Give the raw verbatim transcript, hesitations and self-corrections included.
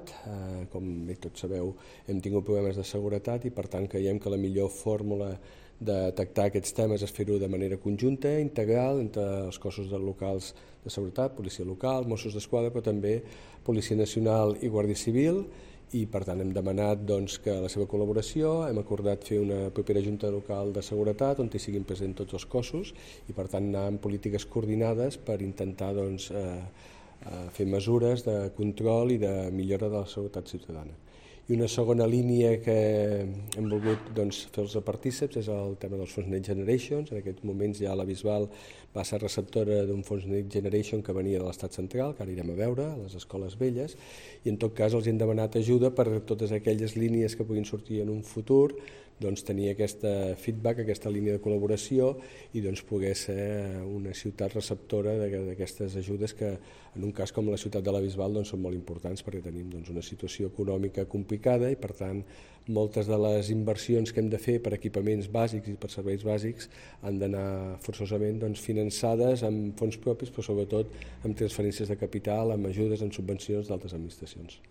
Eh, com bé tots sabeu, hem tingut problemes de seguretat i per tant creiem que la millor fórmula de detectar aquests temes és fer-ho de manera conjunta, integral, entre els cossos de locals de seguretat, policia local, Mossos d'Esquadra, però també Policia Nacional i Guàrdia Civil, i per tant hem demanat doncs, que la seva col·laboració, hem acordat fer una propera junta local de seguretat on hi siguin presents tots els cossos i per tant anar amb polítiques coordinades per intentar doncs, eh, fer mesures de control i de millora de la seguretat ciutadana. I una segona línia que hem volgut doncs, fer-los partíceps és el tema dels fons Next Generation. En aquests moments ja la Bisbal va ser receptora d'un fons Next Generation que venia de l'estat central, que ara irem a veure, a les escoles velles, i en tot cas els hem demanat ajuda per totes aquelles línies que puguin sortir en un futur, doncs, tenir aquesta feedback, aquesta línia de col·laboració i doncs, poder ser una ciutat receptora d'aquestes ajudes que en un cas com la ciutat de la Bisbal doncs, són molt importants perquè tenim doncs, una situació econòmica complicada i per tant moltes de les inversions que hem de fer per equipaments bàsics i per serveis bàsics han d'anar forçosament doncs, finançades amb fons propis però sobretot amb transferències de capital, amb ajudes, amb subvencions d'altres administracions.